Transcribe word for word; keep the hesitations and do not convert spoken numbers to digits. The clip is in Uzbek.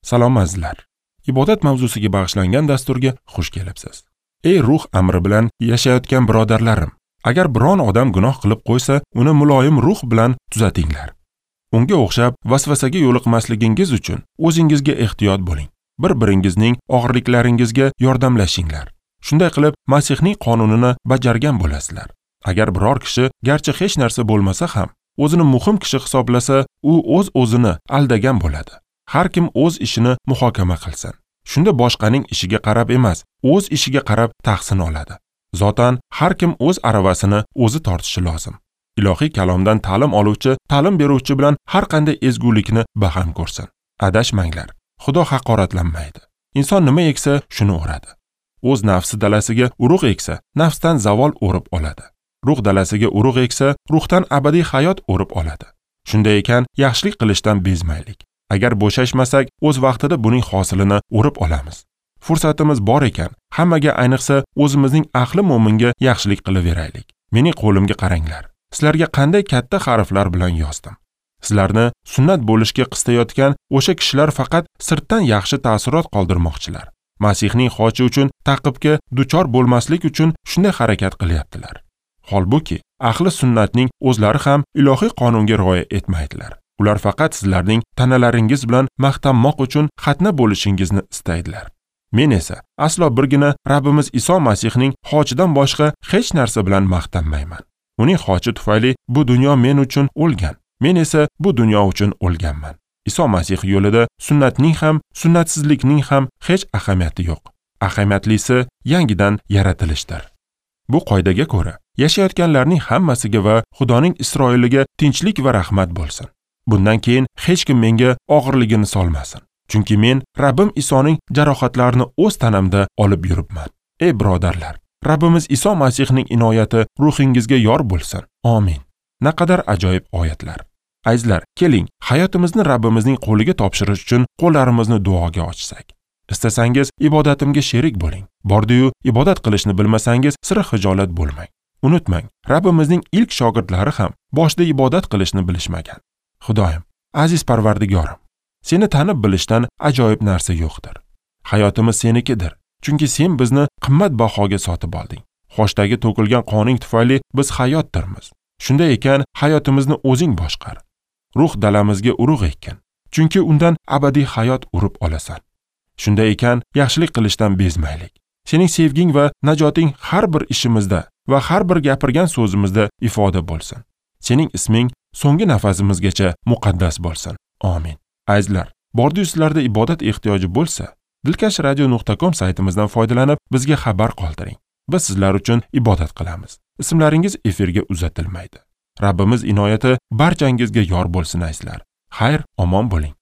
Salom azizlar. Ibodat mavzusiga bag'ishlangan dasturga xush kelibsiz. Ey ruh amri bilan yashayotgan birodarlarim, agar biron odam gunoh qilib qo'ysa, uni muloyim ruh bilan tuzatinglar. Unga o'xshab vasvasaga yo'liqmasligingiz uchun o'zingizga ehtiyot bo'ling. Bir-biringizning og'irliklaringizga yordamlashinglar. Shunday qilib Masihning qonunini bajargan bo'lasizlar. Agar biror kishi garchi hech narsa bo'lmasa ham, o'zini muhim kishi hisoblasa, u o'z-o'zini aldagan bo'ladi. Har kim o'z ishini muhokama qilsin. Shunda boshqaning ishiga qarab emas, o'z ishiga qarab tahsin oladi. Zotan har kim o'z aravasini o'zi tortishi lozim. Ilohiy kalomdan ta'lim oluvchi, ta'lim beruvchi bilan har qanday ezgulikni baham ko'rsin. Adashmanglar. Xudo haqoratlanmaydi. Inson nima eksa, shuni o'radi. O'z nafsi dalasiga urug' eksa, nafsdan zavol o'rib oladi. Ruh dalasiga urug' eksa, ruhdan abadiy hayot o'rib oladi. Shunday ekan, yaxshilik qilishdan bezmaylik. Agar bo'shashmasak, o'z vaqtida buning hosilini o'rib olamiz. Fursatimiz bor ekan, hammaga, ayniqsa o'zimizning ahli mo'minga yaxshilik qilaveraylik. Mening qo'limga qaranglar. Sizlarga qanday katta harflar bilan yozdim. Sizlarni sunnat bo'lishga qistayotgan o'sha kishilar faqat sirtdan yaxshi ta'sirot qoldirmoqchilar. Masihning xochi uchun ta'qibga duchor bo'lmaslik uchun shunday harakat qilyaptilar. Holbuki, ahli sunnatning o'zlari ham ilohiy qonunga rioya etmaydilar. Ular faqat sizlarning tanalaringiz bilan maqtanmoq uchun xatna bo'lishingizni istaydilar. Men esa aslo birgina Rabbimiz Iso Masihning xochidan boshqa hech narsa bilan maqtanmayman. Uning xochi tufayli bu dunyo men uchun o'lgan. Men esa bu dunyo uchun o'lganman. Iso Masih yo'lida sunnatning ham, sunnatsizlikning ham hech ahamiyati yo'q. Ahamiyatlisi yangidan yaratilishdir. Bu qoidaga ko'ra, yashayotganlarning hammasiga va Xudoning Isroiliga tinchlik va rahmat bo'lsin. Bundan keyin hech kim menga og'irligini solmasin. Chunki men Rabbim Isoning jarohatlarini o'z tanamda olib yuribman. Ey birodarlar, Rabbimiz Iso Masihning inoyati ruhingizga yor bo'lsin. Amin. Naqadar ajoyib oyatlar. Azizlar, keling, hayotimizni Rabbimizning qo'liga topshirish uchun qo'llarimizni duoga ochsak. Istasangiz ibodatimga sherik bo'ling. Bordi-yu ibodat qilishni bilmasangiz, sira xijolat bo'lmang. Unutmang, Rabbimizning ilk shogirdlari ham boshida ibodat qilishni bilishmagan. Xudoyim, aziz Parvardigorim, seni tanib bilishdan ajoyib narsa yo'qdir. Hayotimiz senikidir, chunki sen bizni qimmat bahoga sotib olding. Xochdagi to'kilgan qoning tufayli biz hayotdirmiz. Shunday ekan, hayotimizni o'zing boshqar. Ruh dalamizga urug' ekkin, chunki undan abadiy hayot urib olasan. Shunday ekan, yaxshilik qilishdan bezmaylik. Sening sevging va najoting har bir ishimizda va har bir gapirgan so'zimizda ifoda bo'lsin. Sening isming so'nggi nafasimizgacha muqaddas bo'lsin. Amin. Azizlar, bordi-yu sizlarda ibodat ehtiyoji bo'lsa, dilkash radio nuqta com saytimizdan foydalanib bizga xabar qoldiring. Biz sizlar uchun ibodat qilamiz. Ismlaringiz efirga uzatilmaydi. Rabbimiz inoyati barchangizga yor bo'lsin azizlar. Xayr, omon bo'ling.